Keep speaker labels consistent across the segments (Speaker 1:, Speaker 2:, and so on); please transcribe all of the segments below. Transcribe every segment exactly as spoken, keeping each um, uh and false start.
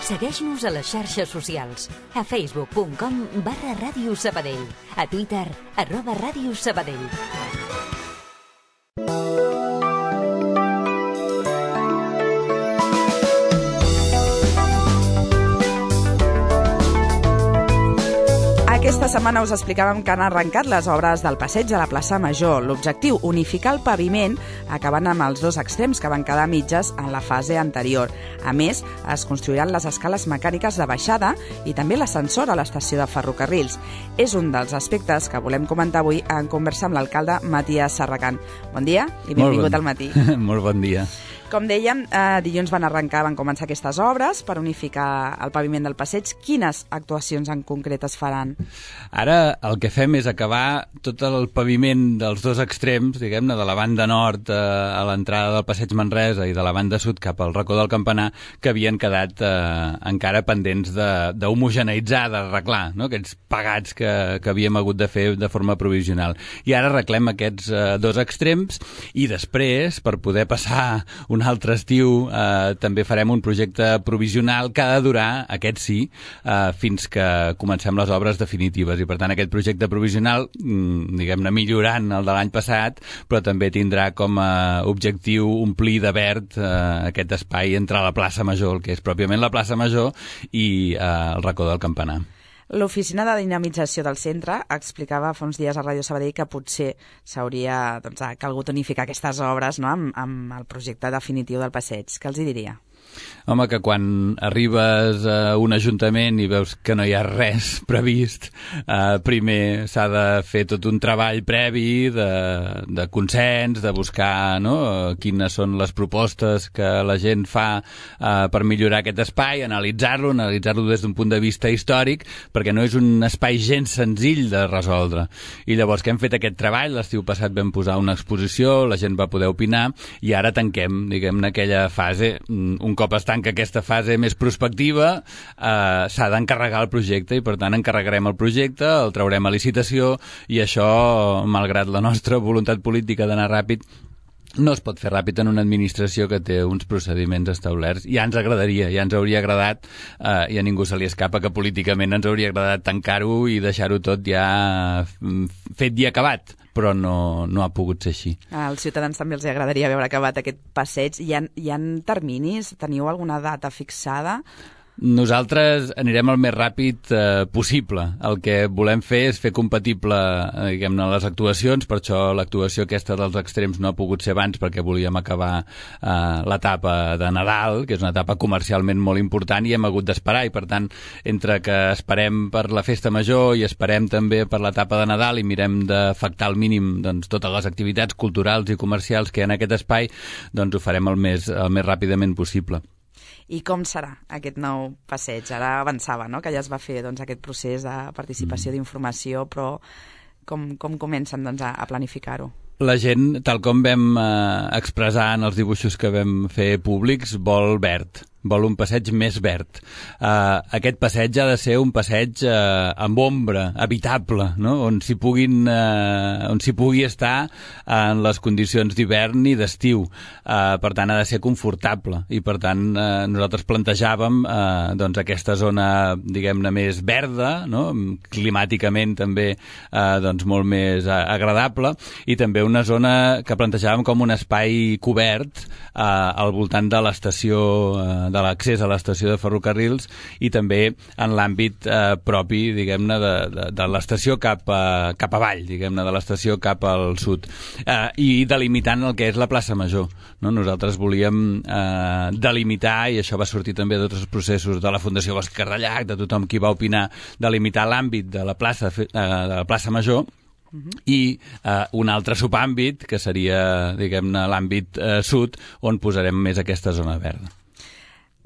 Speaker 1: Segueix-nos a les xarxes socials. A facebook punt com barra Ràdio Sabadell. A Twitter, arroba Ràdio Sabadell.
Speaker 2: Aquesta setmana us explicàvem que han arrencat les obres del passeig a la plaça Major. L'objectiu, unificar el paviment, acabant amb els dos extrems que van quedar mitges en la fase anterior. A més, es construiran les escales mecàniques de baixada i també l'ascensor a l'estació de ferrocarrils. És un dels aspectes que volem comentar avui en conversa amb l'alcalde Matías Serracant. Bon dia i benvingut
Speaker 3: bon.
Speaker 2: al matí.
Speaker 3: Molt bon dia.
Speaker 2: Com dèiem, eh, dilluns van arrencar, van començar aquestes obres per unificar el paviment del passeig. Quines actuacions en concret es faran?
Speaker 3: Ara el que fem és acabar tot el paviment dels dos extrems, diguem-ne, de la banda nord eh, a l'entrada del passeig Manresa i de la banda sud cap al racó del Campanar, que havien quedat eh, encara pendents d'homogeneïtzar, d'arreglar, no? Aquests pegats que, que havíem hagut de fer de forma provisional. I ara arreglem aquests eh, dos extrems i després, per poder passar un un altre estiu, eh, també farem un projecte provisional que ha de durar, aquest sí, eh, fins que comencem les obres definitives. I per tant aquest projecte provisional, mm, diguem-ne, millorant el de l'any passat, però també tindrà com a objectiu omplir de verd eh, aquest espai entre la plaça Major, el que és pròpiament la plaça Major, i eh, el racó del Campanar.
Speaker 2: L'Oficina de Dinamització del Centre explicava fa uns dies a Ràdio Sabadell que potser s'hauria doncs, calgut unificar aquestes obres, no?, amb, amb el projecte definitiu del passeig. Què els hi diria?
Speaker 3: Home, que quan arribes a un ajuntament i veus que no hi ha res previst, eh, primer s'ha de fer tot un treball previ de, de consens, de buscar, no?, quines són les propostes que la gent fa eh, per millorar aquest espai, analitzar-lo, analitzar-lo des d'un punt de vista històric, perquè no és un espai gens senzill de resoldre. I llavors que hem fet aquest treball, l'estiu passat vam posar una exposició, la gent va poder opinar, i ara tanquem, diguem-ne, aquella fase. Un cop es tanca aquesta fase més prospectiva, eh, s'ha d'encarregar el projecte i, per tant, encarregarem el projecte, el traurem a licitació i això, malgrat la nostra voluntat política d'anar ràpid, no es pot fer ràpid en una administració que té uns procediments establerts. Ja ens agradaria, ja ens hauria agradat, eh, i a ningú se li escapa que políticament ens hauria agradat tancar-ho i deixar-ho tot ja fet i acabat, però no, no ha pogut ser així.
Speaker 2: Als ciutadans també els agradaria veure acabat aquest passeig. Hi ha, hi ha terminis? Teniu alguna data fixada?
Speaker 3: Nosaltres anirem el més ràpid eh, possible. El que volem fer és fer compatible eh, diguem-ne, les actuacions, per això l'actuació aquesta dels extrems no ha pogut ser abans, perquè volíem acabar eh, l'etapa de Nadal, que és una etapa comercialment molt important, i hem hagut d'esperar, i per tant, entre que esperem per la festa major i esperem també per l'etapa de Nadal i mirem d'afectar al mínim doncs, totes les activitats culturals i comercials que hi ha en aquest espai, doncs ho farem el més, el més ràpidament possible.
Speaker 2: I com serà aquest nou passeig? Ara avançava, no?, que ja es va fer doncs, aquest procés de participació, mm. d'informació, però com, com comencen doncs, a, a planificar-ho?
Speaker 3: La gent, tal com vam eh, expressar en els dibuixos que vam fer públics, vol verd. Vol un passeig més verd. Uh, aquest passeig ha de ser un passeig uh, amb ombra, habitable, no?, on s'hi puguin, uh, on s'hi pugui estar en les condicions d'hivern i d'estiu. Uh, per tant, ha de ser confortable. I, per tant, uh, nosaltres plantejàvem uh, doncs, aquesta zona, diguem-ne, més verda, no?, climàticament també uh, doncs, molt més uh, agradable, i també una zona que plantejàvem com un espai cobert uh, al voltant de l'estació uh, de l'accés a l'estació de ferrocarrils i també en l'àmbit eh, propi, diguem-ne, de, de, de l'estació cap, a, cap avall, diguem-ne, de l'estació cap al sud. Eh, I delimitant el que és la plaça Major, no? Nosaltres volíem eh, delimitar, i això va sortir també de tots els processos de la Fundació Bosc Cardellac, de tothom qui va opinar, delimitar l'àmbit de la plaça, eh, de la plaça Major, Uh-huh. i eh, un altre subàmbit, que seria, diguem-ne, l'àmbit eh, sud, on posarem més aquesta zona verda.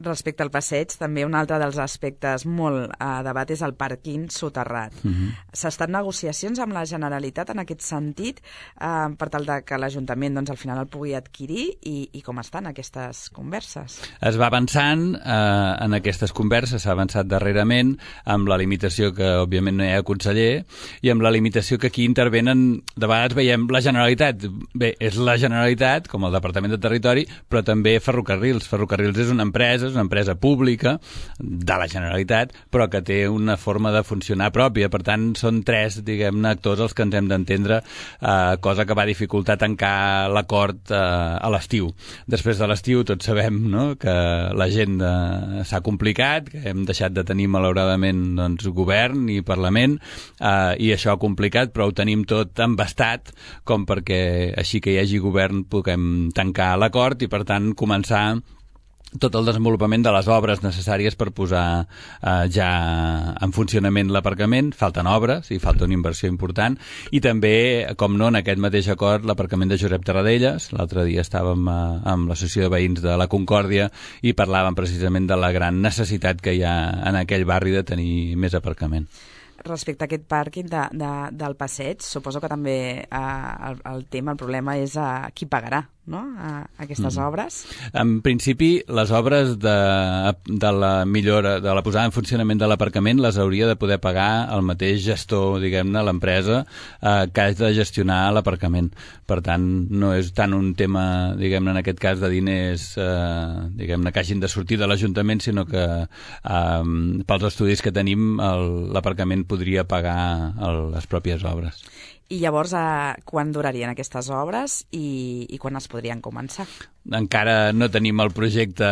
Speaker 2: Respecte al passeig, també un altre dels aspectes molt a debat és el pàrquing soterrat. Uh-huh. S'estan negociacions amb la Generalitat en aquest sentit eh, per tal de que l'Ajuntament doncs, al final el pugui adquirir i, i com estan aquestes converses?
Speaker 3: Es va avançant eh, en aquestes converses, s'ha avançat darrerament amb la limitació que òbviament no hi ha conseller i amb la limitació que aquí intervenen, de vegades veiem la Generalitat. Bé, és la Generalitat, com el Departament de Territori, però també Ferrocarrils. Ferrocarrils és una empresa empresa, és una empresa pública de la Generalitat, però que té una forma de funcionar pròpia. Per tant, són tres, diguem-ne, actors els que ens hem d'entendre, eh, cosa que va dificultar tancar l'acord eh, a l'estiu. Després de l'estiu tots sabem, no?, que l'agenda s'ha complicat, que hem deixat de tenir malauradament doncs, govern i Parlament, eh, i això ha complicat, però ho tenim tot embastat com perquè així que hi hagi govern puguem tancar l'acord i per tant començar tot el desenvolupament de les obres necessàries per posar eh, ja en funcionament l'aparcament. Falten obres i falta una inversió important i també, com no, en aquest mateix acord l'aparcament de Josep Tarradellas. L'altre dia estàvem eh, amb l'Associació de Veïns de la Concòrdia i parlàvem precisament de la gran necessitat que hi ha en aquell barri de tenir més aparcament.
Speaker 2: Respecte a aquest pàrquing de, de, del passeig, suposo que també eh, el, el tema, el problema és a qui pagarà, no?, a, a aquestes mm. obres.
Speaker 3: En principi, les obres de, de la millora, de la posada en funcionament de l'aparcament les hauria de poder pagar el mateix gestor, diguem-ne, l'empresa eh, que ha de gestionar l'aparcament. Per tant, no és tant un tema, diguem-ne, en aquest cas de diners, eh, diguem-ne, que hagin de sortir de l'Ajuntament, sinó que eh, pels estudis que tenim l'aparcament podria pagar el, les pròpies obres.
Speaker 2: I llavors, eh, quan durarien aquestes obres i, i quan es podrien començar?
Speaker 3: Encara no tenim el projecte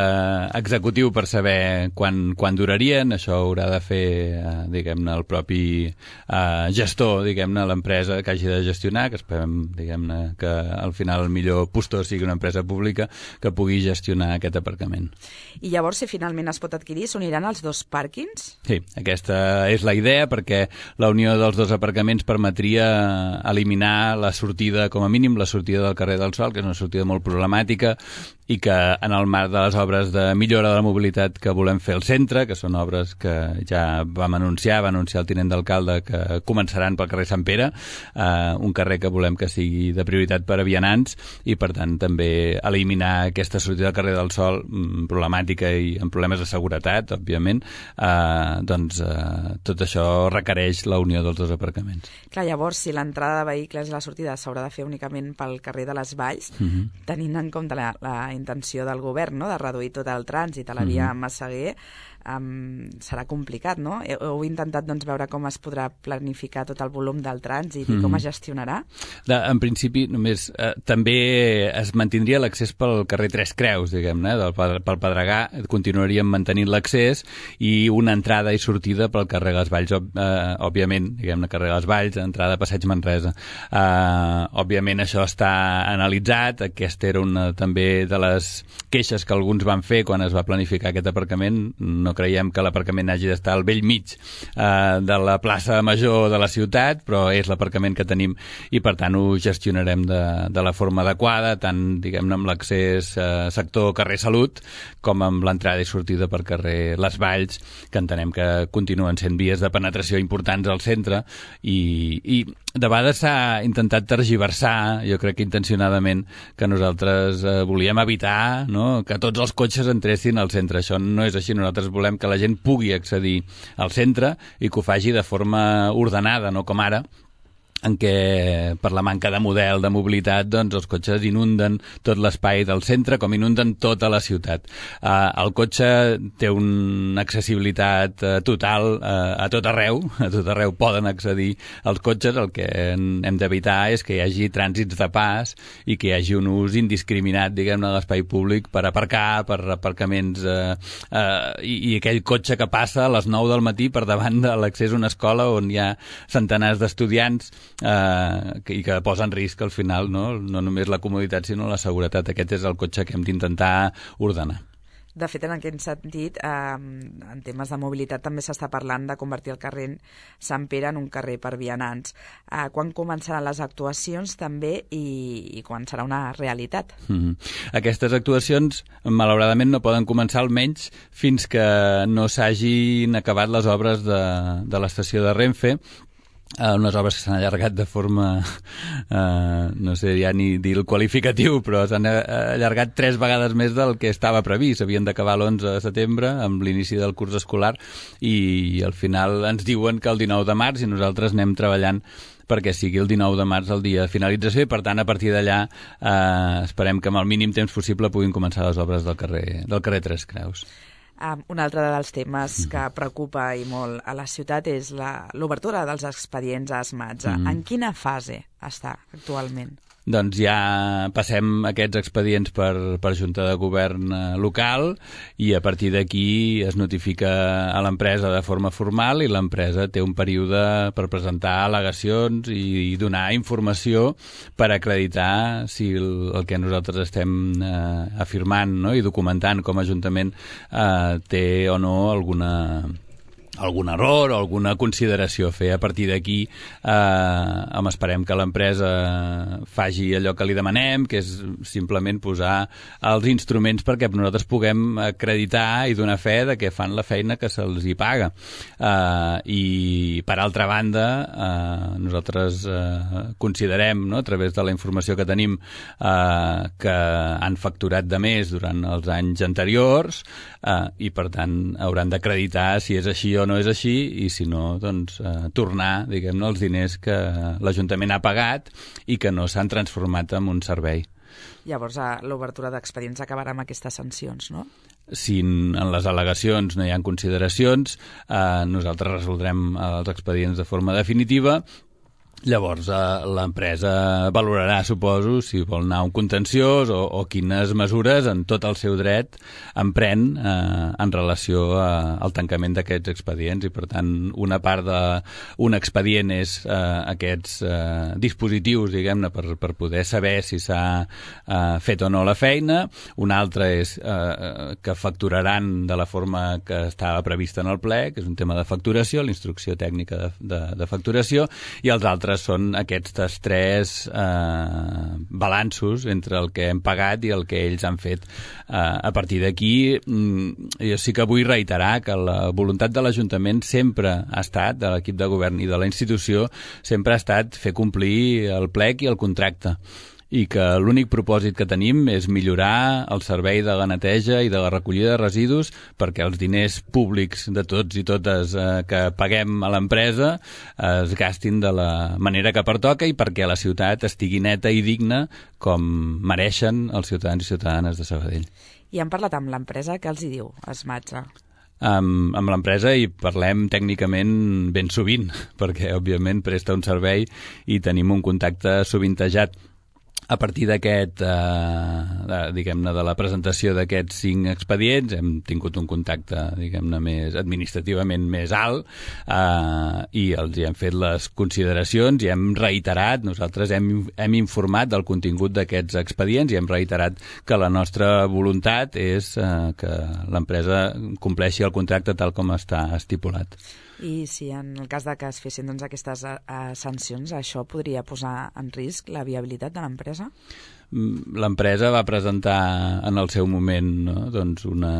Speaker 3: executiu per saber quan, quan durarien. Això haurà de fer, eh, diguem-ne, el propi eh, gestor, diguem-ne, l'empresa que hagi de gestionar, que esperem, diguem-ne, que al final el millor postor sigui una empresa pública que pugui gestionar aquest aparcament.
Speaker 2: I llavors, si finalment es pot adquirir, s'uniran els dos pàrquings?
Speaker 3: Sí, aquesta és la idea, perquè la unió dels dos aparcaments permetria eliminar la sortida, com a mínim, la sortida del carrer del Sol, que és una sortida molt problemàtica, i que en el marc de les obres de millora de la mobilitat que volem fer al centre, que són obres que ja vam anunciar, va anunciar el tinent d'alcalde que començaran pel carrer Sant Pere, eh, un carrer que volem que sigui de prioritat per a vianants i, per tant, també eliminar aquesta sortida del carrer del Sol problemàtica i amb problemes de seguretat, òbviament, eh, doncs eh, tot això requereix la unió dels dos aparcaments.
Speaker 2: Clar, llavors, si l'entrada de vehicles i la sortida s'haurà de fer únicament pel carrer de les Valls, mm-hmm. tenint en compte la, la intenció del govern, no?, de reduir tot el trànsit a la via mm-hmm. Massaguer, um, serà complicat, no? Heu intentat doncs, veure com es podrà planificar tot el volum del trànsit mm-hmm. i com es gestionarà? De,
Speaker 3: en principi, només eh, també es mantindria l'accés pel carrer Tres Creus, diguem-ne, del, pel Pedregà, continuaríem mantenint l'accés i una entrada i sortida pel carrer Les Valls, ob, eh, òbviament, diguem-ne, carrer Les Valls, entrada a Passeig Manresa. Eh, òbviament això està analitzat, aquesta era una també de les queixes que alguns van fer quan es va planificar aquest aparcament. No creiem que l'aparcament hagi d'estar al vell mig eh, de la plaça Major de la ciutat, però és l'aparcament que tenim i per tant ho gestionarem de, de la forma adequada, tant diguem-ne amb l'accés eh, sector carrer Salut com amb l'entrada i sortida per carrer Les Valls, que entenem que continuen sent vies de penetració importants al centre i, i de vegades s'ha intentat tergiversar, jo crec que intencionadament, que nosaltres eh, volíem evitar, no?, que tots els cotxes entressin al centre. Això no és així. Nosaltres volem que la gent pugui accedir al centre i que ho faci de forma ordenada, no com ara, en què per la manca de model de mobilitat doncs els cotxes inunden tot l'espai del centre com inunden tota la ciutat. Uh, el cotxe té una accessibilitat uh, total uh, a tot arreu, a tot arreu poden accedir els cotxes, el que hem d'evitar és que hi hagi trànsits de pas i que hi hagi un ús indiscriminat, diguem-ne, de l'espai públic per aparcar, per aparcaments uh, uh, i, i aquell cotxe que passa a les nou del matí per davant de l'accés a una escola on hi ha centenars d'estudiants Uh, que, i que posa en risc al final no, no només la comoditat sinó la seguretat. Aquest és el cotxe que hem d'intentar ordenar.
Speaker 2: De fet, en aquest sentit, eh, en temes de mobilitat també s'està parlant de convertir el carrer Sant Pere en un carrer per vianants. Eh, quan començaran les actuacions també i, i quan serà una realitat?
Speaker 3: Mm-hmm. Aquestes actuacions, malauradament, no poden començar almenys fins que no s'hagin acabat les obres de, de l'estació de Renfe, Uh, unes obres que s'han allargat de forma, uh, no sé ja ni dir el qualificatiu, però s'han allargat tres vegades més del que estava previst. Havien d'acabar l'onze de setembre, amb l'inici del curs escolar, i al final ens diuen que el dinou de març, i nosaltres anem treballant perquè sigui el dinou de març el dia de finalització, i per tant a partir d'allà eh, esperem que amb el mínim temps possible puguin començar les obres del carrer, del carrer Tres Creus.
Speaker 2: Um, un altre dels temes que preocupa i molt a la ciutat és l'obertura dels expedients a Esmatza. Mm. En quina fase està actualment?
Speaker 3: Doncs ja passem aquests expedients per, per Junta de Govern local, i a partir d'aquí es notifica a l'empresa de forma formal, i l'empresa té un període per presentar al·legacions i, i donar informació per acreditar si el, el que nosaltres estem eh, afirmant, no?, i documentant com a Ajuntament eh, té o no alguna... algun error o alguna consideració a fer. A partir d'aquí eh, esperem que l'empresa faci allò que li demanem, que és simplement posar els instruments perquè nosaltres puguem acreditar i donar fe de que fan la feina que se'ls hi paga. Eh, I, per altra banda, eh, nosaltres eh, considerem, no, a través de la informació que tenim, eh, que han facturat de més durant els anys anteriors, eh, i, per tant, hauran d'acreditar si és així o no és així, i si no, doncs, eh, tornar, diguem-ne, els diners que l'Ajuntament ha pagat i que no s'han transformat en un servei.
Speaker 2: Llavors, l'obertura d'expedients acabarà amb aquestes sancions, no?
Speaker 3: Si en les al·legacions no hi ha consideracions, eh, nosaltres resoldrem els expedients de forma definitiva. Llavors, eh, l'empresa valorarà, suposo, si vol anar a un contenciós o, o quines mesures, en tot el seu dret, emprèn eh, en relació a, al tancament d'aquests expedients. I, per tant, una part d'un expedient és eh, aquests eh, dispositius, diguem-ne, per, per poder saber si s'ha eh, fet o no la feina. Una altra és eh, que facturaran de la forma que estava prevista en el ple, que és un tema de facturació, la instrucció tècnica de, de, de facturació, i els altres són aquests tres eh, balanços entre el que hem pagat i el que ells han fet. Eh, a partir d'aquí, jo sí que vull reiterar que la voluntat de l'Ajuntament sempre ha estat, de l'equip de govern i de la institució, sempre ha estat fer complir el plec i el contracte, i que l'únic propòsit que tenim és millorar el servei de la neteja i de la recollida de residus perquè els diners públics de tots i totes eh, que paguem a l'empresa eh, es gastin de la manera que pertoca i perquè la ciutat estigui neta i digna com mereixen els ciutadans i ciutadanes de Sabadell.
Speaker 2: I han parlat amb l'empresa, què els hi diu Esmatza?
Speaker 3: Amb, amb l'empresa hi parlem tècnicament ben sovint, perquè òbviament presta un servei i tenim un contacte sovintejat. A partir d'aquest, eh, diguem-ne, de la presentació d'aquests cinc expedients, hem tingut un contacte, diguem-ne, més administrativament més alt, eh, i els hi hem fet les consideracions i hem reiterat, nosaltres hem, hem informat del contingut d'aquests expedients i hem reiterat que la nostra voluntat és eh, que l'empresa compleixi el contracte tal com està estipulat.
Speaker 2: I si en el cas de que es fessin doncs, aquestes uh, sancions, això podria posar en risc la viabilitat de l'empresa?
Speaker 3: L'empresa va presentar en el seu moment, no, doncs una...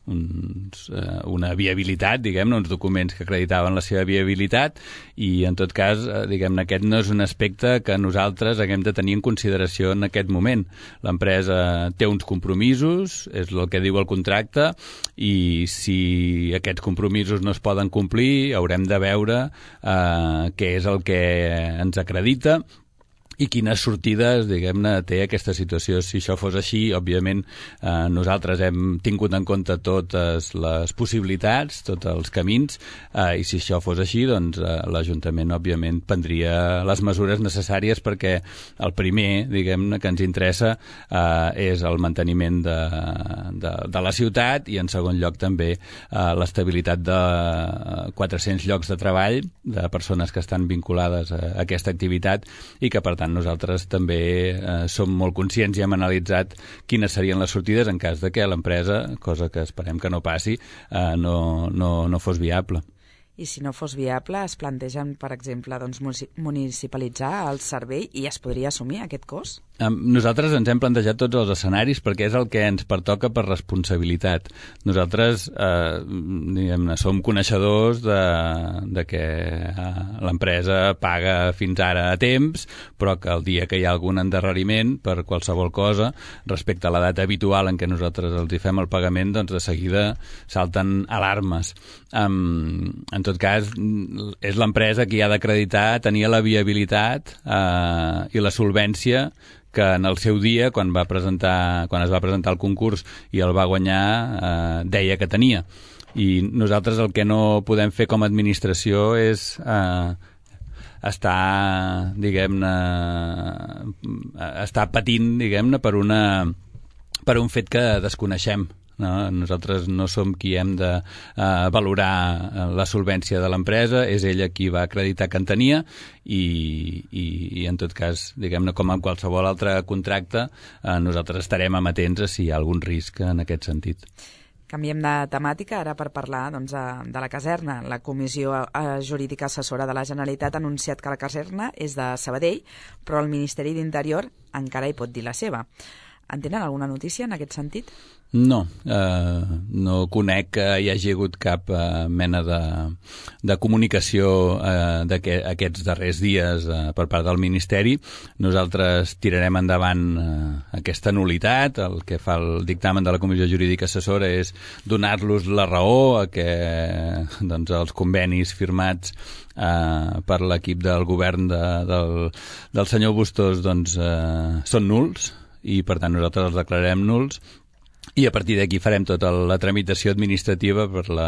Speaker 3: Uns, eh, una viabilitat, diguem-ne, uns documents que acreditaven la seva viabilitat, i en tot cas, eh, diguem-ne, aquest no és un aspecte que nosaltres haguem de tenir en consideració en aquest moment. L'empresa té uns compromisos, és el que diu el contracte, i si aquests compromisos no es poden complir, haurem de veure eh, què és el que ens acredita i quines sortides, diguem-ne, té aquesta situació. Si això fos així, òbviament, eh, nosaltres hem tingut en compte totes les possibilitats, tots els camins, eh, i si això fos així, doncs eh, l'Ajuntament, òbviament, prendria les mesures necessàries perquè el primer, diguem-ne, que ens interessa eh, és el manteniment de, de, de la ciutat i, en segon lloc, també eh, l'estabilitat de quatre-cents llocs de treball de persones que estan vinculades a aquesta activitat i que, per tant, nosaltres també eh, som molt conscients i hem analitzat quines serien les sortides en cas de que l'empresa, cosa que esperem que no passi, eh, no, no, no fos viable.
Speaker 2: I si no fos viable, es plantegen, per exemple, doncs, municipalitzar el servei i es podria assumir aquest cost?
Speaker 3: Nosaltres ens hem plantejat tots els escenaris perquè és el que ens pertoca per responsabilitat. Nosaltres eh, diguem-ne, som coneixedors de, de que eh, l'empresa paga fins ara a temps, però que el dia que hi ha algun endarreriment per qualsevol cosa, respecte a la data habitual en què nosaltres els hi fem el pagament, doncs de seguida salten alarmes. Um, en tot cas, és l'empresa qui ha d'acreditar tenir la viabilitat eh, i la solvència que en el seu dia, quan va presentar, quan es va presentar el concurs i el va guanyar, eh, deia que tenia. I nosaltres el que no podem fer com a administració és eh, estar, diguem-ne, estar patint, diguem-ne, per una, per un fet que desconeixem. No? Nosaltres no som qui hem de uh, valorar la solvència de l'empresa, és ella qui va acreditar que en tenia i, i, i en tot cas, diguem-ne, com en qualsevol altre contracte, uh, nosaltres estarem amatents a si hi ha algun risc en aquest sentit.
Speaker 2: Canviem de temàtica ara per parlar doncs, de la caserna. La Comissió Jurídica Assessora de la Generalitat ha anunciat que la caserna és de Sabadell, però el Ministeri d'Interior encara hi pot dir la seva. En tenen alguna notícia en aquest sentit?
Speaker 3: No, eh, no conec que hi hagi hagut cap eh, mena de, de comunicació eh, d'aquests darrers dies eh, per part del Ministeri. Nosaltres tirarem endavant eh, aquesta nul·litat. El que fa el dictamen de la Comissió Jurídica Assessora és donar-los la raó a que doncs, els convenis firmats eh, per l'equip del govern de, del, del senyor Bustos doncs, eh, són nuls i per tant nosaltres els declararem nuls. I a partir d'aquí farem tota la tramitació administrativa per la,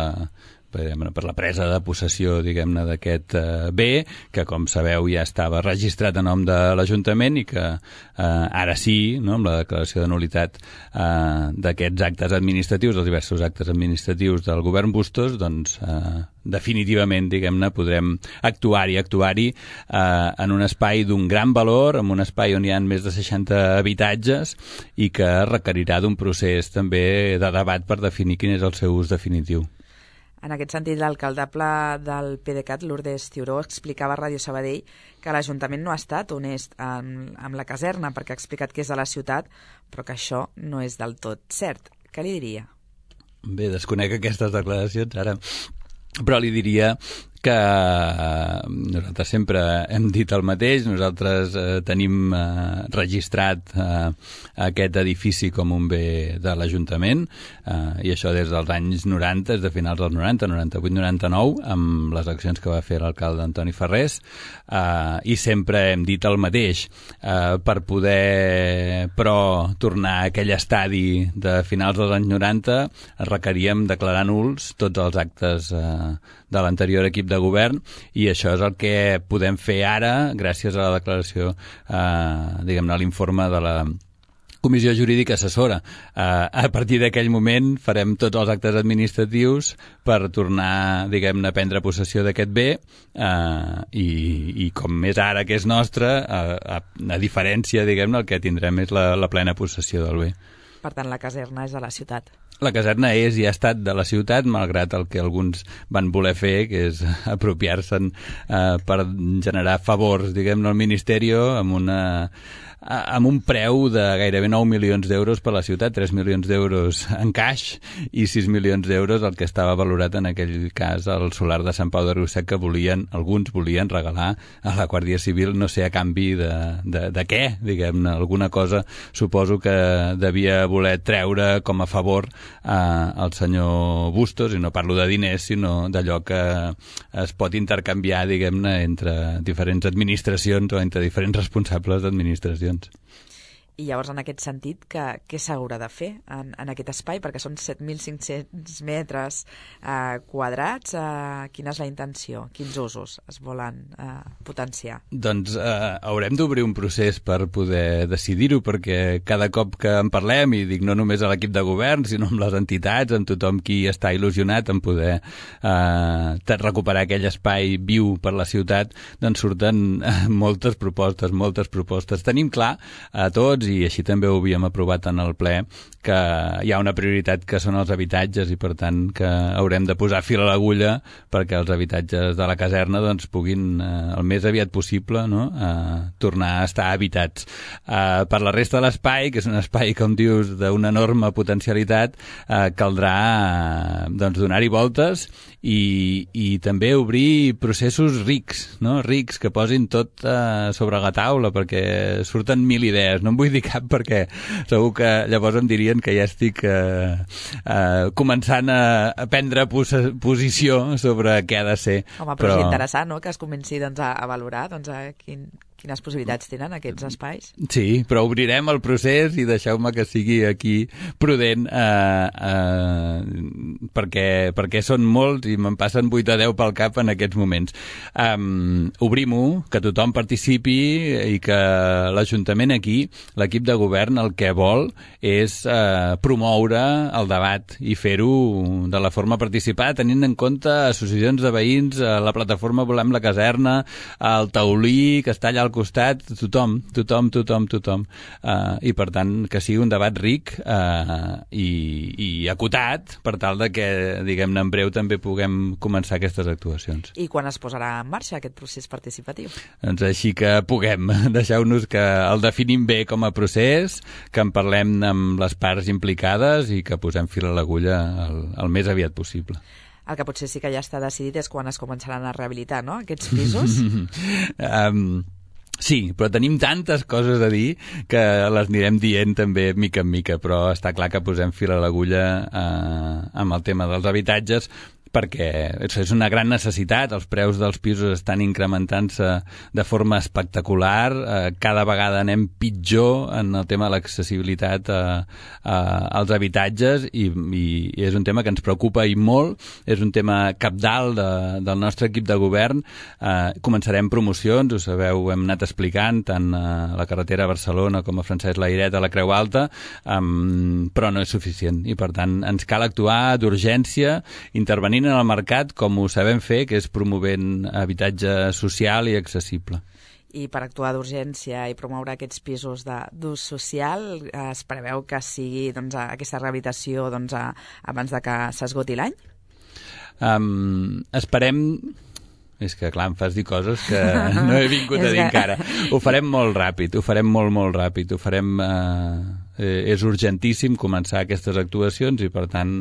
Speaker 3: per, per la presa de possessió, diguem-ne, d'aquest eh, bé, que com sabeu ja estava registrat a nom de l'Ajuntament i que eh, ara sí, no, amb la declaració de nul·litat eh, d'aquests actes administratius, els diversos actes administratius del govern Bustos, doncs eh, definitivament, diguem-ne, podrem actuar-hi, actuar-hi eh, en un espai d'un gran valor, en un espai on hi ha més de seixanta habitatges i que requerirà d'un procés també de debat per definir quin és el seu ús definitiu.
Speaker 2: En aquest sentit, l'alcaldable del PDeCAT, Lourdes Ciuró, explicava a Ràdio Sabadell que l'Ajuntament no ha estat honest amb, amb la caserna perquè ha explicat que és de la ciutat, però que això no és del tot cert. Què li diria?
Speaker 3: Bé, desconec aquestes declaracions ara, però li diria que nosaltres sempre hem dit el mateix, nosaltres eh, tenim eh, registrat eh, aquest edifici com un bé de l'Ajuntament eh, i això des dels anys noranta, des de finals dels noranta, noranta-vuit noranta-nou, amb les accions que va fer l'alcalde Antoni Ferrés, eh, i sempre hem dit el mateix. Eh, per poder, però, tornar a aquell estadi de finals dels anys noranta, requeríem declarar nuls tots els actes eh, de l'anterior equip de govern i això és el que podem fer ara gràcies a la declaració, eh, diguem-ne, a l'informe de la Comissió Jurídica Assessora. Eh, a partir d'aquell moment farem tots els actes administratius per tornar, diguem-ne, a prendre possessió d'aquest bé eh, i, i com és ara que és nostre, a, a, a diferència, diguem-ne, el que tindrem és la, la plena possessió del bé.
Speaker 2: Per tant, la caserna és de la ciutat.
Speaker 3: La caserna és i ha estat de la ciutat, malgrat el que alguns van voler fer, que és apropiar-se'n eh, per generar favors, diguem-ne, al Ministeri amb una amb un preu de gairebé nou milions d'euros per a la ciutat, tres milions d'euros en caix i sis milions d'euros el que estava valorat en aquell cas el solar de Sant Pau de Riu Sec que volien, alguns volien regalar a la Guàrdia Civil, no sé a canvi de, de, de què, diguem-ne, alguna cosa suposo que devia voler treure com a favor eh, al senyor Bustos, i no parlo de diners sinó d'allò que es pot intercanviar, diguem-ne, entre diferents administracions o entre diferents responsables d'administracions.
Speaker 2: I llavors, en aquest sentit, que, què s'haurà de fer en, en aquest espai? Perquè són set mil cinc-cents metres eh, quadrats. Eh, quina és la intenció? Quins usos es volen eh, potenciar?
Speaker 3: Doncs eh, haurem d'obrir un procés per poder decidir-ho, perquè cada cop que en parlem, i dic no només a l'equip de govern, sinó amb les entitats, amb tothom qui està il·lusionat en poder eh, recuperar aquell espai viu per la ciutat, doncs surten eh, moltes propostes, moltes propostes. Tenim clar a tots, i així també ho havíem aprovat en el ple, que hi ha una prioritat que són els habitatges i per tant que haurem de posar fil a l'agulla perquè els habitatges de la caserna doncs, puguin eh, el més aviat possible no? eh, tornar a estar habitats. Eh, per la resta de l'espai, que és un espai, com dius, d'una enorme potencialitat, eh, caldrà eh, doncs, donar-hi voltes i, i també obrir processos rics, no? rics que posin tot eh, sobre la taula perquè surten mil idees. No en vull dir cap perquè segur que llavors em dirien que ja estic eh, eh, començant a, a prendre pos posició sobre què ha de ser.
Speaker 2: Home, però, però... és interessant, no?, que es comenci doncs, a, a valorar doncs, a quin, quines possibilitats tenen aquests espais.
Speaker 3: Sí, però obrirem el procés i deixeu-me que sigui aquí prudent eh, eh, perquè, perquè són molts i me'n passen vuit a deu pel cap en aquests moments. Um, Obrim-ho, que tothom participi i que l'Ajuntament aquí, l'equip de govern, el que vol és eh, promoure el debat i fer-ho de la forma participada, tenint en compte associacions de veïns, la plataforma Volem la Caserna, el Taulí, que està allà al costat, tothom, tothom, tothom, tothom. Uh, I per tant, que sigui un debat ric uh, i, i acotat, per tal de que, diguem-ne, en breu també puguem començar aquestes actuacions.
Speaker 2: I quan es posarà en marxa aquest procés participatiu?
Speaker 3: Doncs així que puguem. Deixeu-nos que el definim bé com a procés, que en parlem amb les parts implicades i que posem fil a l'agulla el, el més aviat possible.
Speaker 2: El que potser sí que ja està decidit és quan es començaran a rehabilitar, no?, aquests pisos.
Speaker 3: um, sí, però tenim tantes coses a dir que les anirem dient també mica en mica, però està clar que posem fil a l'agulla uh, amb el tema dels habitatges, perquè és una gran necessitat, els preus dels pisos estan incrementant-se de forma espectacular, eh, cada vegada anem pitjor en el tema de l'accessibilitat a, a, als habitatges i, i, i és un tema que ens preocupa i molt, és un tema cabdal de, del nostre equip de govern. Eh, començarem promocions, ho sabeu, hem anat explicant tant a la carretera a Barcelona com a Francesc Layret a la Creu Alta, um, però no és suficient i per tant ens cal actuar d'urgència, intervenir en el mercat com ho sabem fer, que és promovent habitatge social i accessible.
Speaker 2: I per actuar d'urgència i promoure aquests pisos d'ús social, es preveu que sigui doncs, aquesta rehabilitació doncs, a, abans de que s'esgoti l'any?
Speaker 3: Um, esperem... És que, clar, em fas dir coses que no he vingut a dir encara. Ho farem molt ràpid, ho farem molt, molt ràpid. Ho farem... Eh, eh, és urgentíssim començar aquestes actuacions i, per tant,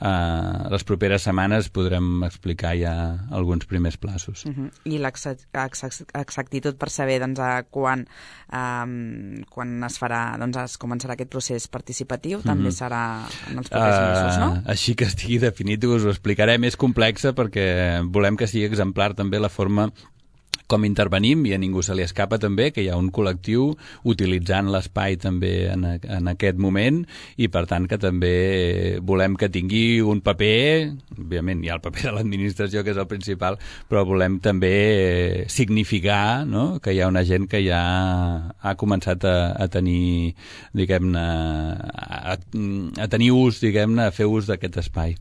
Speaker 3: eh, les properes setmanes podrem explicar ja alguns primers plaços.
Speaker 2: Uh-huh. I l'exactitud per saber doncs, a quan, eh, quan es farà, doncs, es començarà aquest procés participatiu, uh-huh. també serà en els propers uh, mesos, no?
Speaker 3: Així que estigui definit, us ho explicarem. És complexa perquè volem que sigui exemplar també la forma com intervenim i a ningú se li escapa també que hi ha un col·lectiu utilitzant l'espai també en, en aquest moment i per tant que també volem que tingui un paper, òbviament hi ha el paper de l'administració que és el principal, però volem també significar, no?, que hi ha una gent que ja ha començat a, a tenir, diguem-ne, a, a tenir ús, diguem-ne, a fer ús d'aquest espai.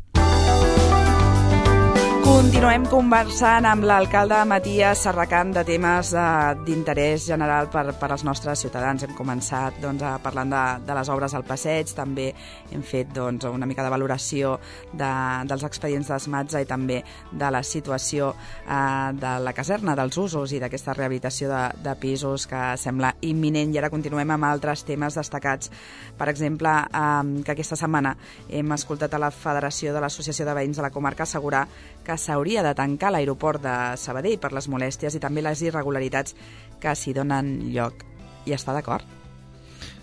Speaker 2: Continuem conversant amb l'alcalde Matías Serracant de temes d'interès general per, per als nostres ciutadans. Hem començat doncs, parlant de, de les obres al passeig, també hem fet doncs, una mica de valoració de, dels expedients d'esmatza i també de la situació eh, de la caserna, dels usos i d'aquesta rehabilitació de, de pisos que sembla imminent. I ara continuem amb altres temes destacats. Per exemple, eh, que aquesta setmana hem escoltat a la Federació de l'Associació de Veïns de la Comarca assegurar que s'hauria de tancar l'aeroport de Sabadell per les molèsties i també les irregularitats que s'hi donen lloc. Hi està d'acord?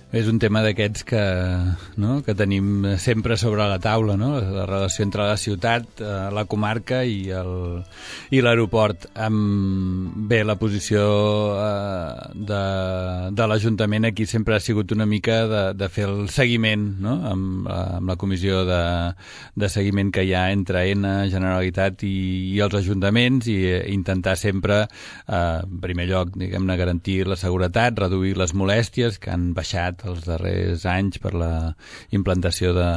Speaker 3: És un tema d'aquests que, no, que tenim sempre sobre la taula, no? La relació entre la ciutat, la comarca i el, i l'aeroport. Bé, la posició eh, de, de l'Ajuntament aquí sempre ha sigut una mica de, de fer el seguiment, no?, amb, amb la comissió de, de seguiment que hi ha entre A N, Generalitat i, i els ajuntaments i eh, intentar sempre, eh, en primer lloc, diguem-ne, garantir la seguretat, reduir les molèsties que han baixat apropat els darrers anys per la implantació de,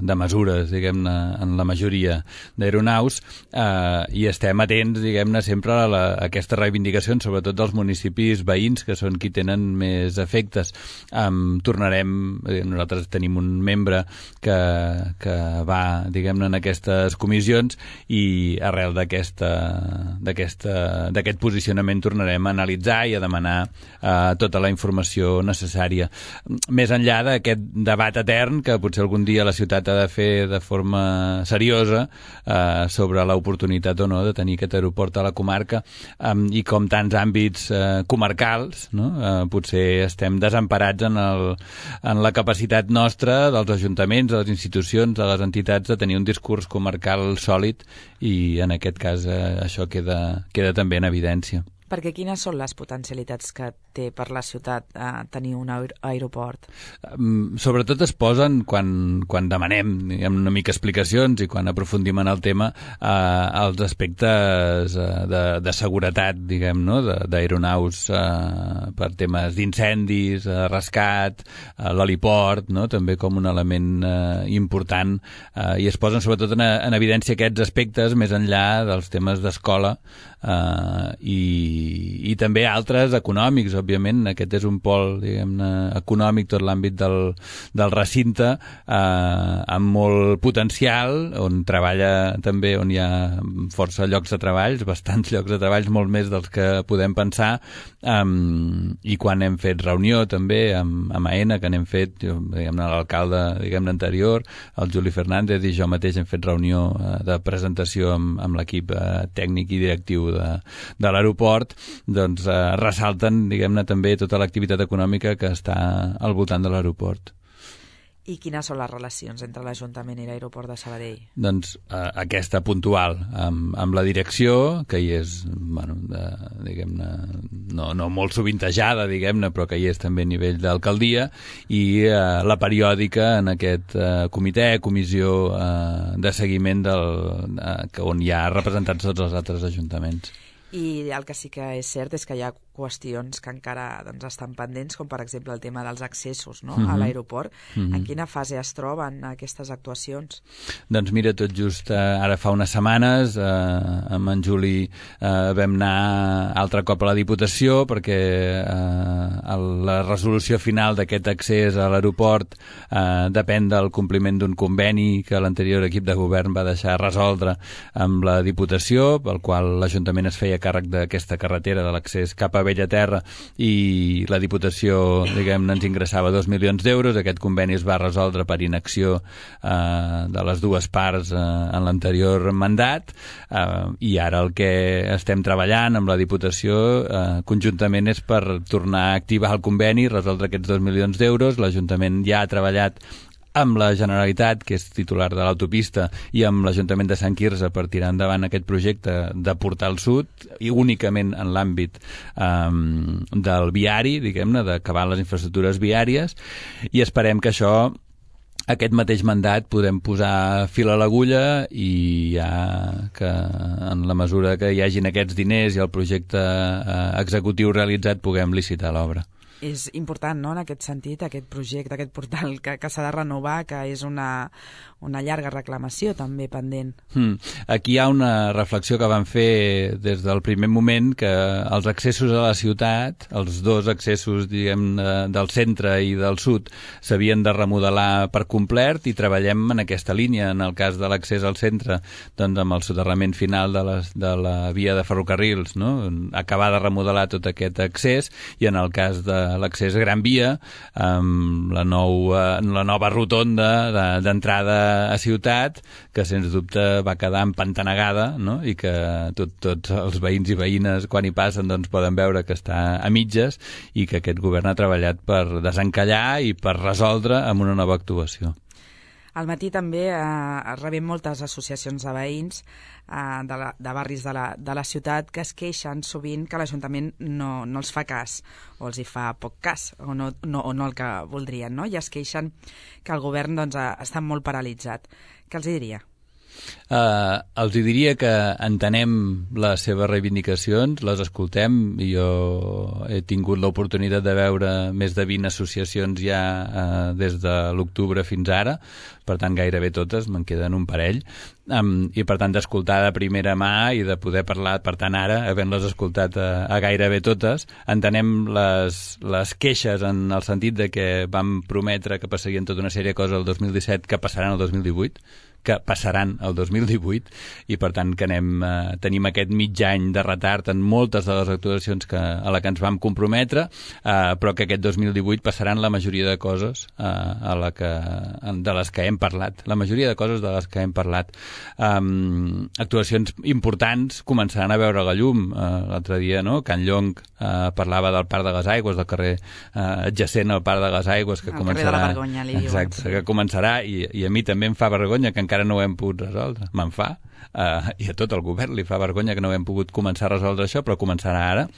Speaker 3: de mesures, diguem-ne, en la majoria d'aeronaus, eh, i estem atents, diguem-ne, sempre a, la, a aquestes reivindicacions, sobretot dels municipis veïns, que són qui tenen més efectes. Um, tornarem, eh, nosaltres tenim un membre que, que va, diguem-ne, en aquestes comissions, i arrel d'aquesta, d'aquesta, d'aquest posicionament tornarem a analitzar i a demanar eh, tota la informació necessària. Més enllà d'aquest debat etern que potser algun dia la ciutat ha de fer de forma seriosa eh, sobre l'oportunitat o no de tenir aquest aeroport a la comarca, eh, i com tants àmbits eh, comarcals, no? eh, potser estem desemparats en, el, en la capacitat nostra dels ajuntaments, de les institucions, de les entitats, de tenir un discurs comarcal sòlid, i en aquest cas eh, això queda, queda també en evidència.
Speaker 2: Perquè quines són les potencialitats que té per la ciutat eh, tenir un aeroport?
Speaker 3: Um, sobretot es posen quan, quan demanem, diguem, una mica explicacions i quan aprofundim en el tema, eh, els aspectes eh, de, de seguretat, diguem, no? d'aeronaus eh, per temes d'incendis, eh, rescat, eh, l'heliport, no? també com un element eh, important, eh, i es posen sobretot en, en evidència aquests aspectes més enllà dels temes d'escola, eh, i i també altres econòmics, òbviament. Aquest és un pol, diguem-ne, econòmic, tot l'àmbit del, del recinte, eh, amb molt potencial, on treballa també, on hi ha força llocs de treballs, bastants llocs de treballs, molt més dels que podem pensar, um, i quan hem fet reunió també amb, amb AENA, que n'hem fet, diguem-ne, l'alcalde, diguem-ne, anterior, el Juli Fernández i jo mateix hem fet reunió eh, de presentació amb, amb l'equip eh, tècnic i directiu de, de l'aeroport, doncs eh, ressalten, diguem-ne, també tota l'activitat econòmica que està al voltant de l'aeroport.
Speaker 2: I quines són les relacions entre l'Ajuntament i l'aeroport de Sabadell?
Speaker 3: Doncs eh, aquesta puntual, amb, amb la direcció, que hi és, bueno, de, diguem-ne, no, no molt sovintejada, diguem-ne, però que hi és també a nivell d'alcaldia, i eh, la periòdica en aquest eh, comitè, comissió eh, de seguiment del, eh, on hi ha representats tots els altres ajuntaments.
Speaker 2: I el que sí que és cert és que hi ha qüestions que encara doncs, estan pendents, com per exemple el tema dels accessos, no?
Speaker 3: Mm-hmm.
Speaker 2: a l'aeroport.
Speaker 3: Mm-hmm.
Speaker 2: En quina fase es troben aquestes actuacions?
Speaker 3: Doncs mira, tot just eh, ara fa unes setmanes eh, amb en Juli eh, vam anar altre cop a la Diputació perquè eh, la resolució final d'aquest accés a l'aeroport eh, depèn del compliment d'un conveni que l'anterior equip de govern va deixar resoldre amb la Diputació, pel qual l'Ajuntament es feia càrrec d'aquesta carretera de l'accés cap a Bellaterra, i la Diputació, diguem-ne, ens ingressava dos milions d'euros. Aquest conveni es va resoldre per inacció eh, de les dues parts eh, en l'anterior mandat, eh, i ara el que estem treballant amb la Diputació eh, conjuntament és per tornar a activar el conveni, resoldre aquests dos milions d'euros. L'Ajuntament ja ha treballat amb la Generalitat, que és titular de l'autopista, i amb l'Ajuntament de Sant Quirze per tirar endavant aquest projecte de Portal Sud, i únicament en l'àmbit um, del viari, diguem-ne, d'acabar les infraestructures viàries, i esperem que això, aquest mateix mandat, podem posar fil a l'agulla, i ja que en la mesura que hi hagin aquests diners i el projecte eh, executiu realitzat puguem licitar l'obra.
Speaker 2: És important, no?, en aquest sentit, aquest projecte, aquest portal que, que s'ha de renovar, que és una, una llarga reclamació també pendent.
Speaker 3: Hmm. Aquí hi ha una reflexió que vam fer des del primer moment, que els accessos a la ciutat, els dos accessos, diguem, del centre i del sud, s'havien de remodelar per complet, i treballem en aquesta línia. En el cas de l'accés al centre, doncs amb el soterrament final de, les, de la via de ferrocarrils, no?, acabar de remodelar tot aquest accés, i en el cas de l'accés Gran Via, amb la, nou, la nova rotonda d'entrada a ciutat, que sens dubte va quedar empantanegada, no?, i que tot, tots els veïns i veïnes quan hi passen doncs, poden veure que està a mitges, i que aquest govern ha treballat per desencallar i per resoldre amb una nova actuació.
Speaker 2: Al matí també eh, rebem moltes associacions de veïns eh, de, la, de barris de la, de la ciutat que es queixen sovint que l'Ajuntament no, no els fa cas, o els hi fa poc cas, o no, no, o no el que voldrien, no? I es queixen que el govern doncs, està molt paralitzat. Què els hi diria?
Speaker 3: Uh, els diria que entenem les seves reivindicacions, les escoltem, i jo he tingut l'oportunitat de veure més de vint associacions ja uh, des de l'octubre fins ara, per tant gairebé totes, me'n queden un parell, um, i per tant d'escoltar de primera mà i de poder parlar, per tant ara, havent-les escoltat a, a gairebé totes, entenem les, les queixes en el sentit de que vam prometre que passarien tota una sèrie de coses el dos mil disset que passaran el dos mil divuit, que passaran el dos mil divuit, i per tant que anem, eh, tenim aquest mig any de retard en moltes de les actuacions que, a la que ens vam comprometre, eh, però que aquest dos mil divuit passaran la majoria de coses eh, a la que, de les que hem parlat, la majoria de coses de les que hem parlat. Um, actuacions importants començaran a veure la llum. Uh, l'altre dia, no?, Can Llong uh, parlava del Parc de les Aigües, del carrer uh, adjacent al Parc de les Aigües, que
Speaker 2: el
Speaker 3: començarà...
Speaker 2: carrer de la Vergonya, li diuen.
Speaker 3: Exacte, sí. Que començarà, i, i a mi també em fa vergonya que encara no ho hem pogut resoldre. Me'n fa, uh, i a tot el govern li fa vergonya que no hem pogut començar a resoldre això, però començarà ara,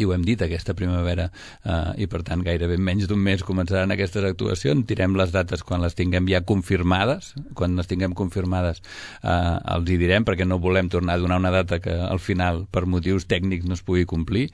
Speaker 3: i ho hem dit aquesta primavera, eh, i per tant gairebé en menys d'un mes començaran aquestes actuacions. Direm les dates quan les tinguem ja confirmades, quan les tinguem confirmades eh, els hi direm, perquè no volem tornar a donar una data que al final per motius tècnics no es pugui complir,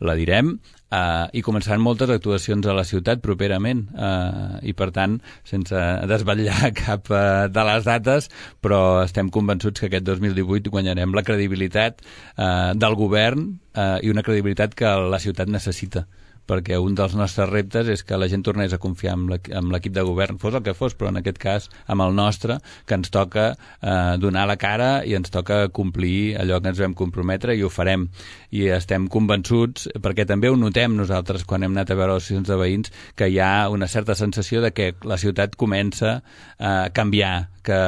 Speaker 3: la direm. Uh, i començaran moltes actuacions a la ciutat properament, uh, i per tant sense desvetllar cap uh, de les dates, però estem convençuts que aquest dos mil divuit guanyarem la credibilitat uh, del govern, uh, i una credibilitat que la ciutat necessita, perquè un dels nostres reptes és que la gent tornés a confiar en l'equip de govern, fos el que fos, però en aquest cas amb el nostre, que ens toca eh, donar la cara i ens toca complir allò que ens vam comprometre, i ho farem. I estem convençuts, perquè també ho notem nosaltres quan hem anat a veure les associacions de veïns, que hi ha una certa sensació de que la ciutat comença a canviar, que,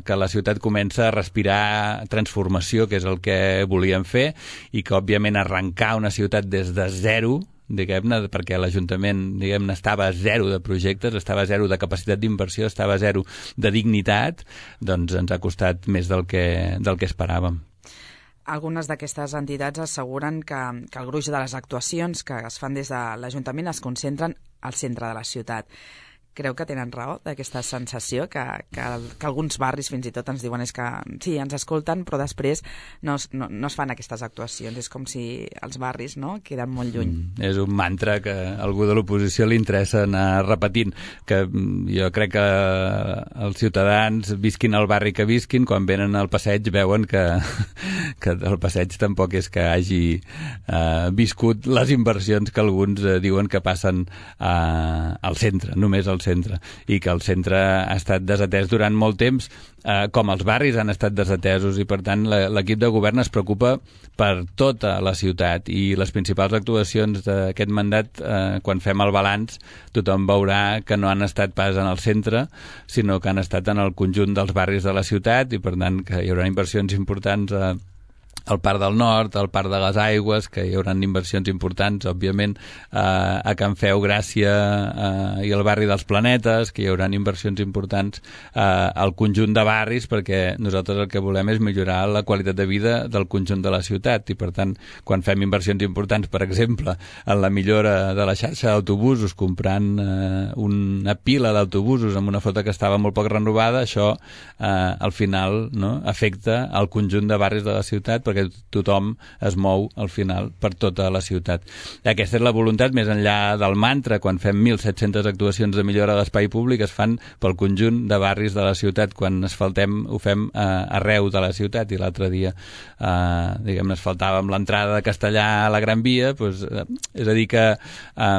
Speaker 3: que la ciutat comença a respirar transformació, que és el que volíem fer, i que òbviament arrencar una ciutat des de zero, diguem-ne, perquè l'Ajuntament, diguem-ne, estava a zero de projectes, estava a zero de capacitat d'inversió, estava a zero de dignitat, doncs ens ha costat més del que, del que esperàvem.
Speaker 2: Algunes d'aquestes entitats asseguren que, que el gruix de les actuacions que es fan des de l'Ajuntament es concentren al centre de la ciutat. Creu que tenen raó d'aquesta sensació que, que, que alguns barris fins i tot ens diuen és que sí, ens escolten, però després no es, no, no es fan aquestes actuacions. És com si els barris, no?, queden molt lluny.
Speaker 3: Mm, és un mantra que a algú de l'oposició li interessa anar repetint, que jo crec que els ciutadans, visquin al barri que visquin, quan venen al passeig veuen que, que el passeig tampoc és que hagi eh, viscut les inversions que alguns eh, diuen que passen eh, al centre, només al centre, i que el centre ha estat desatès durant molt temps, eh, com els barris han estat desatesos, i per tant l'equip de govern es preocupa per tota la ciutat, i les principals actuacions d'aquest mandat, eh, quan fem el balanç, tothom veurà que no han estat pas en el centre, sinó que han estat en el conjunt dels barris de la ciutat, i per tant que hi haurà inversions importants a al Parc del Nord, al Parc de les Aigües, que hi haurà inversions importants, òbviament, eh, a Can Feu, Gràcia eh, i al barri dels Planetes, que hi haurà inversions importants eh, al conjunt de barris, perquè nosaltres el que volem és millorar la qualitat de vida del conjunt de la ciutat, i per tant, quan fem inversions importants, per exemple, en la millora de la xarxa d'autobusos, comprant eh, una pila d'autobusos amb una flota que estava molt poc renovada, això eh, al final, no?, afecta al conjunt de barris de la ciutat, perquè tothom es mou al final per tota la ciutat. Aquesta és la voluntat, més enllà del mantra. Quan fem mil set-centes actuacions de millora de l'espai públic es fan pel conjunt de barris de la ciutat. Quan asfaltem ho fem eh, arreu de la ciutat, i l'altre dia eh, diguem-ne, asfaltàvem l'entrada de Castellà a la Gran Via, doncs, eh, és a dir que eh,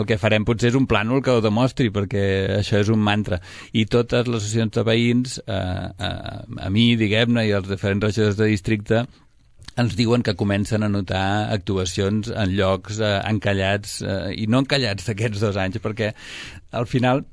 Speaker 3: el que farem potser és un plànol que ho demostri, perquè això és un mantra, i totes les associacions de veïns eh, eh, a mi, diguem-ne, i els diferents regidors de districte ens diuen que comencen a notar actuacions en llocs eh, encallats, eh, i no encallats d'aquests dos anys, perquè al final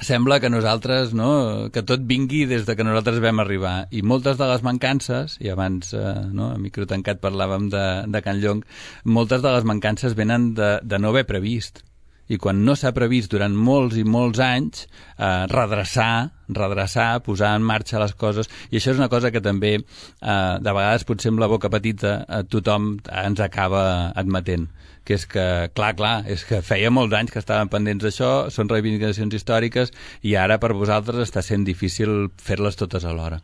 Speaker 3: sembla que nosaltres, no?, que tot vingui des de que nosaltres vam arribar, i moltes de les mancances, i abans eh, no, a micro tancat parlàvem de, de Can Llong, moltes de les mancances venen de, de no haver previst. i quan no s'ha previst durant molts i molts anys eh, redreçar, redreçar, posar en marxa les coses, i això és una cosa que també eh, de vegades potser amb la boca petita eh, tothom ens acaba admetent, que és que, clar, clar, és que feia molts anys que estaven pendents d'això, són reivindicacions històriques i ara per vosaltres està sent difícil fer-les totes alhora.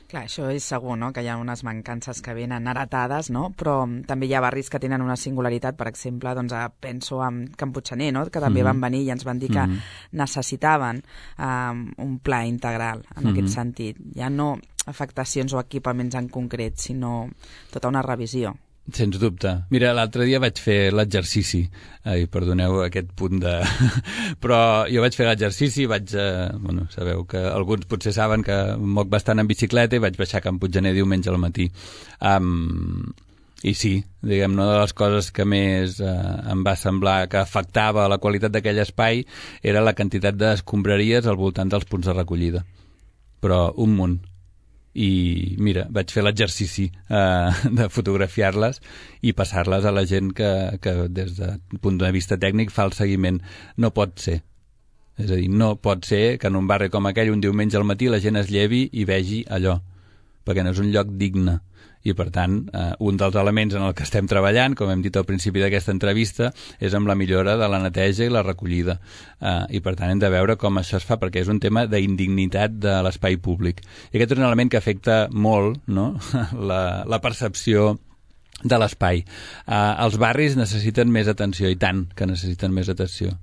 Speaker 2: Clar, això és segur, no?, que hi ha unes mancances que venen heretades, no?, però també hi ha barris que tenen una singularitat. Per exemple, doncs, penso en Can Puiggener, no?, que també mm-hmm. van venir i ens van dir que mm-hmm. necessitaven um, un pla integral en mm-hmm. aquest sentit. Ja no afectacions o equipaments en concret, sinó tota una revisió.
Speaker 3: Sens dubte. Mira, l'altre dia vaig fer l'exercici. Ai, perdoneu aquest punt de... Però jo vaig fer l'exercici, vaig... Eh... Bueno, sabeu que alguns potser saben que moc bastant en bicicleta i vaig baixar a Can Puiggener diumenge al matí. Um, I sí, diguem, una de les coses que més eh, em va semblar que afectava la qualitat d'aquell espai era la quantitat d'escombraries al voltant dels punts de recollida. Però un munt. I mira, vaig fer l'exercici eh, de fotografiar-les i passar-les a la gent que, que des del punt de vista tècnic fa el seguiment. No pot ser. És a dir, no pot ser que en un barri com aquell un diumenge al matí la gent es llevi i vegi allò, perquè no és un lloc digne. I, per tant, eh, un dels elements en el que estem treballant, com hem dit al principi d'aquesta entrevista, és amb la millora de la neteja i la recollida. Eh, I, per tant, hem de veure com això es fa, perquè és un tema d'indignitat de l'espai públic. I aquest és un element que afecta molt, no?, la, la percepció de l'espai. Eh, els barris necessiten més atenció, i tant que necessiten més atenció.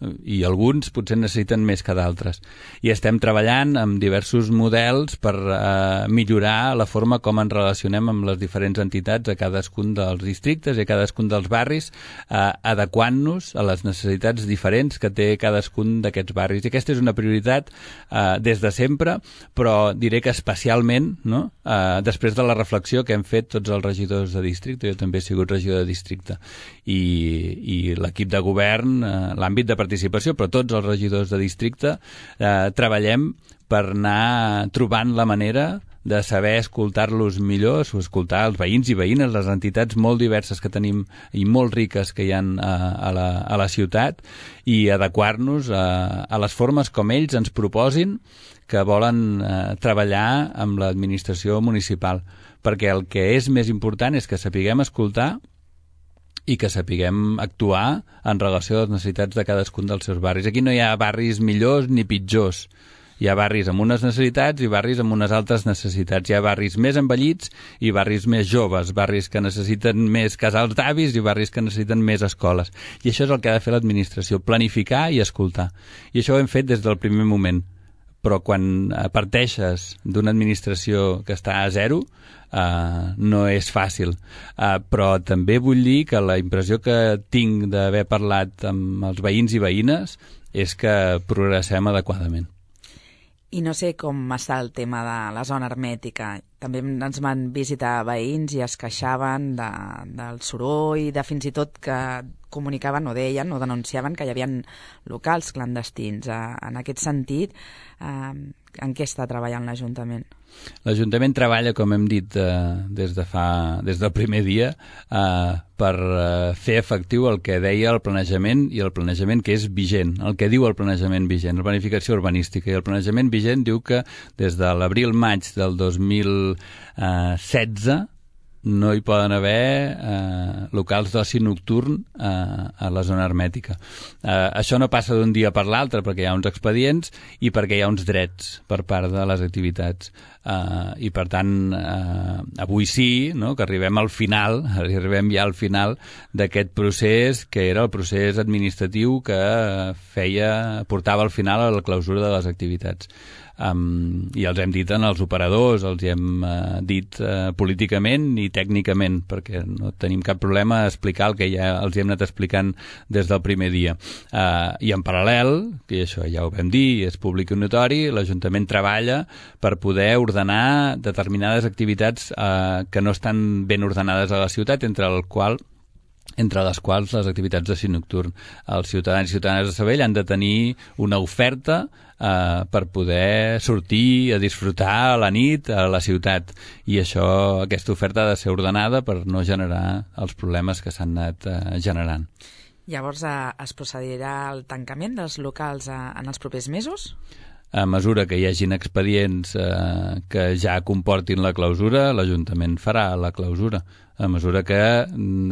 Speaker 3: I alguns potser necessiten més que d'altres. I estem treballant amb diversos models per eh, millorar la forma com ens relacionem amb les diferents entitats a cadascun dels districtes i a cadascun dels barris, eh, adequant-nos a les necessitats diferents que té cadascun d'aquests barris. I aquesta és una prioritat eh, des de sempre, però diré que especialment, no?, eh, després de la reflexió que hem fet tots els regidors de districte, jo també he sigut regidor de districte, i, i l'equip de govern, eh, l'àmbit de participació, però tots els regidors de districte eh, treballem per anar trobant la manera de saber escoltar-los millor, escoltar els veïns i veïnes, les entitats molt diverses que tenim i molt riques que hi ha a, a, la, a la ciutat, i adequar-nos a, a les formes com ells ens proposin que volen eh, treballar amb l'administració municipal, perquè el que és més important és que sapiguem escoltar i que sapiguem actuar en relació a les necessitats de cadascun dels seus barris. Aquí no hi ha barris millors ni pitjors. Hi ha barris amb unes necessitats i barris amb unes altres necessitats. Hi ha barris més envellits i barris més joves, barris que necessiten més casals d'avis i barris que necessiten més escoles. I això és el que ha de fer l'administració, planificar i escoltar. I això ho hem fet des del primer moment. Però quan parteixes d'una administració que està a zero, Uh, no és fàcil. Uh, però també vull dir que la impressió que tinc d'haver parlat amb els veïns i veïnes és que progressem adequadament.
Speaker 2: I no sé com està el tema de la zona hermètica. També ens van visitar veïns i es queixaven de, del soroll, de fins i tot que comunicaven o deien o denunciaven que hi havia locals clandestins. Uh, en aquest sentit, uh, en què està treballant l'Ajuntament?
Speaker 3: L'Ajuntament treballa, com hem dit, eh, des de fa, des del primer dia eh, per eh, fer efectiu el que deia el planejament i el planejament que és vigent, el que diu el planejament vigent, la planificació urbanística. I el planejament vigent diu que des de l'abril-maig del dos mil setze no hi poden haver eh, locals d'oci nocturn eh, a la zona hermètica. Eh, això no passa d'un dia per l'altre perquè hi ha uns expedients i perquè hi ha uns drets per part de les activitats. Eh, I per tant, eh, avui sí, no?, que arribem al final, arribem ja al final d'aquest procés que era el procés administratiu que feia, portava al final a la clausura de les activitats. Um, i els hem dit en els operadors, els hem uh, dit uh, políticament i tècnicament, perquè no tenim cap problema a explicar el que ja els hem anat explicant des del primer dia. Uh, I en paral·lel, que això ja ho vam dir, és públic i notori, l'Ajuntament treballa per poder ordenar determinades activitats uh, que no estan ben ordenades a la ciutat, entre el qual entre les quals les activitats d'oci nocturn. Els ciutadans i ciutadanes de Sabadell han de tenir una oferta eh, per poder sortir a disfrutar a la nit a la ciutat, i això, aquesta oferta ha de ser ordenada per no generar els problemes que s'han anat eh, generant.
Speaker 2: Llavors, eh, es procedirà al tancament dels locals eh, en els propers mesos?
Speaker 3: A mesura que hi hagin expedients eh, que ja comportin la clausura, l'Ajuntament farà la clausura. A mesura que,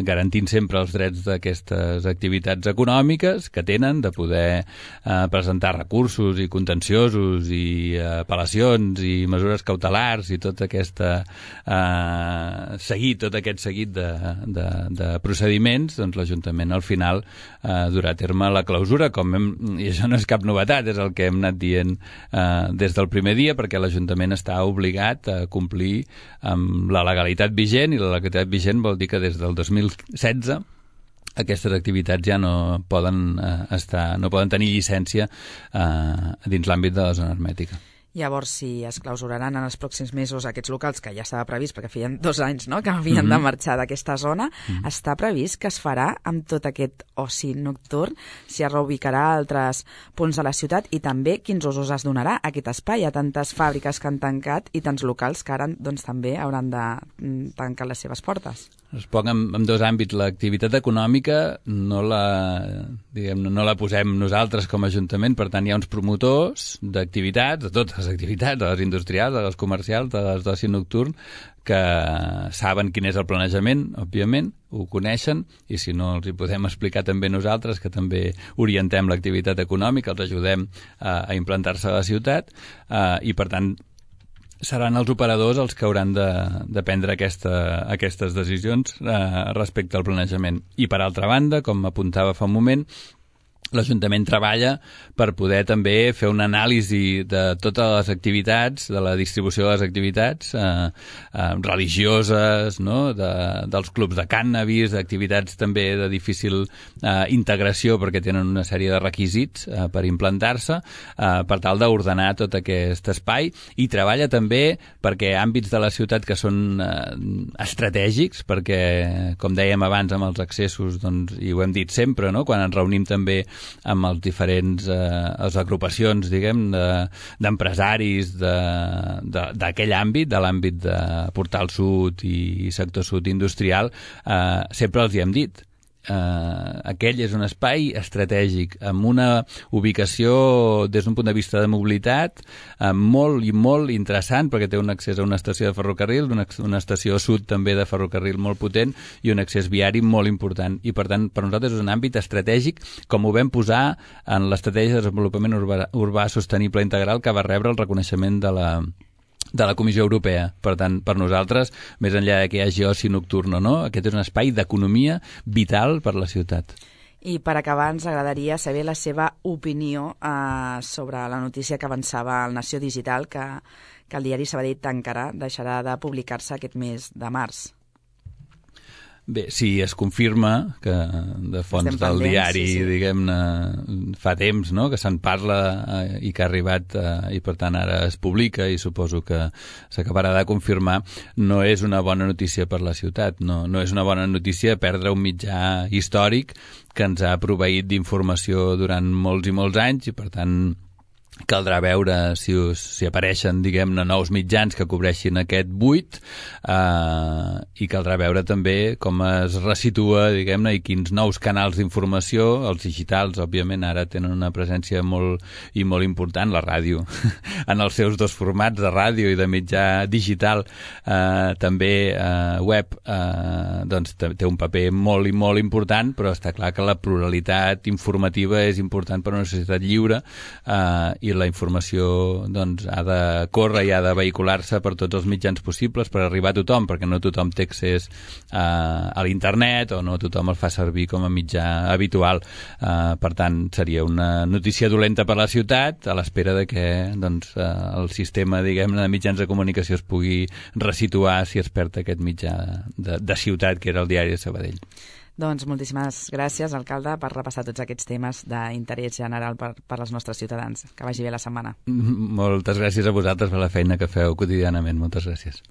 Speaker 3: garantint sempre els drets d'aquestes activitats econòmiques que tenen, de poder eh, presentar recursos i contenciosos i eh, apel·lacions i mesures cautelars i tot aquesta eh, seguit, tot aquest seguit de, de, de procediments, doncs l'Ajuntament al final eh, durà a terme la clausura, com hem, i això no és cap novetat, és el que hem anat dient eh, des del primer dia, perquè l'Ajuntament està obligat a complir amb la legalitat vigent, i la legalitat vigent vol dir que des del dos mil setze aquestes activitats ja no poden eh, estar, no poden tenir llicència eh, dins l'àmbit de la zona hermètica.
Speaker 2: Llavors, si es clausuraran en els pròxims mesos aquests locals, que ja estava previst, perquè feien dos anys no?, que havien mm-hmm. de marxar d'aquesta zona, mm-hmm. està previst que es farà amb tot aquest oci nocturn, si es reubicarà a altres punts de la ciutat, i també quins usos es donarà a aquest espai. Hi ha tantes fàbriques que han tancat i tants locals que ara doncs, també hauran de tancar les seves portes.
Speaker 3: Es posa en, en dos àmbits. L'activitat econòmica no la, diguem, no la posem nosaltres com a Ajuntament, per tant hi ha uns promotors d'activitats, de totes les activitats, de les industrials, de les comercials, de les d'oci nocturn, que saben quin és el planejament, òbviament, ho coneixen, i si no els hi podem explicar també nosaltres, que també orientem l'activitat econòmica, els ajudem a, a implantar-se a la ciutat, eh, i per tant seran els operadors els que hauran de, de prendre aquesta, aquestes decisions eh, respecte al planejament. I per altra banda, com apuntava fa un moment, l'Ajuntament treballa per poder també fer una anàlisi de totes les activitats, de la distribució de les activitats eh, eh, religioses, no? de, dels clubs de cànnabis, d'activitats també de difícil eh, integració perquè tenen una sèrie de requisits eh, per implantar-se, eh, per tal d'ordenar tot aquest espai, i treballa també perquè àmbits de la ciutat que són eh, estratègics, perquè, com dèiem abans amb els accessos, doncs, i ho hem dit sempre, no? Quan ens reunim també amb els diferents eh, les agrupacions, diguem, d'empresaris de, d'aquell àmbit, de l'àmbit de Portal Sud i sector sud industrial, eh, sempre els hi hem dit. Uh, aquell és un espai estratègic amb una ubicació des d'un punt de vista de mobilitat uh, molt i molt interessant, perquè té un accés a una estació de ferrocarril, una, una estació sud també de ferrocarril molt potent i un accés viari molt important, i per tant per nosaltres és un àmbit estratègic, com ho vam posar en l'estratègia de desenvolupament urbà, urbà sostenible integral, que va rebre el reconeixement de la de la Comissió Europea. Per tant, per nosaltres, més enllà que hi hagi oci nocturn o no, aquest és un espai d'economia vital per la ciutat.
Speaker 2: I per acabar, ens agradaria saber la seva opinió eh, sobre la notícia que avançava al Nació Digital, que, que el diari Sabadell tancarà, deixarà de publicar-se aquest mes de març.
Speaker 3: Bé, si es confirma que de fonts
Speaker 2: Estem
Speaker 3: del
Speaker 2: pendents,
Speaker 3: diari,
Speaker 2: sí, sí.
Speaker 3: diguem-ne, fa temps, no?, que se'n parla eh, i que ha arribat eh, i per tant ara es publica, i suposo que s'acabarà de confirmar, no és una bona notícia per la ciutat. No, no és una bona notícia perdre un mitjà històric que ens ha proveït d'informació durant molts i molts anys, i per tant caldrà veure si, us, si apareixen, diguem-ne, nous mitjans que cobreixin aquest buit, eh, i caldrà veure també com es resitua, diguem-ne, i quins nous canals d'informació, els digitals, òbviament, ara tenen una presència molt i molt important, la ràdio, en els seus dos formats de ràdio i de mitjà digital, eh, també eh, web, eh, doncs té un paper molt i molt important, però està clar que la pluralitat informativa és important per a una societat lliure, eh, i la informació doncs, ha de córrer i ha de vehicular-se per tots els mitjans possibles per arribar a tothom, perquè no tothom té accés a, a l'internet, o no tothom el fa servir com a mitjà habitual. Uh, per tant, seria una notícia dolenta per la ciutat, a l'espera de que doncs, uh, el sistema, diguem-ne, de mitjans de comunicació es pugui resituar si es perd aquest mitjà de, de ciutat, que era el diari de Sabadell.
Speaker 2: Doncs moltíssimes gràcies, alcalde, per repassar tots aquests temes d'interès general per, per als nostres ciutadans. Que vagi bé la setmana.
Speaker 3: Moltes gràcies a vosaltres per la feina que feu quotidianament. Moltes gràcies.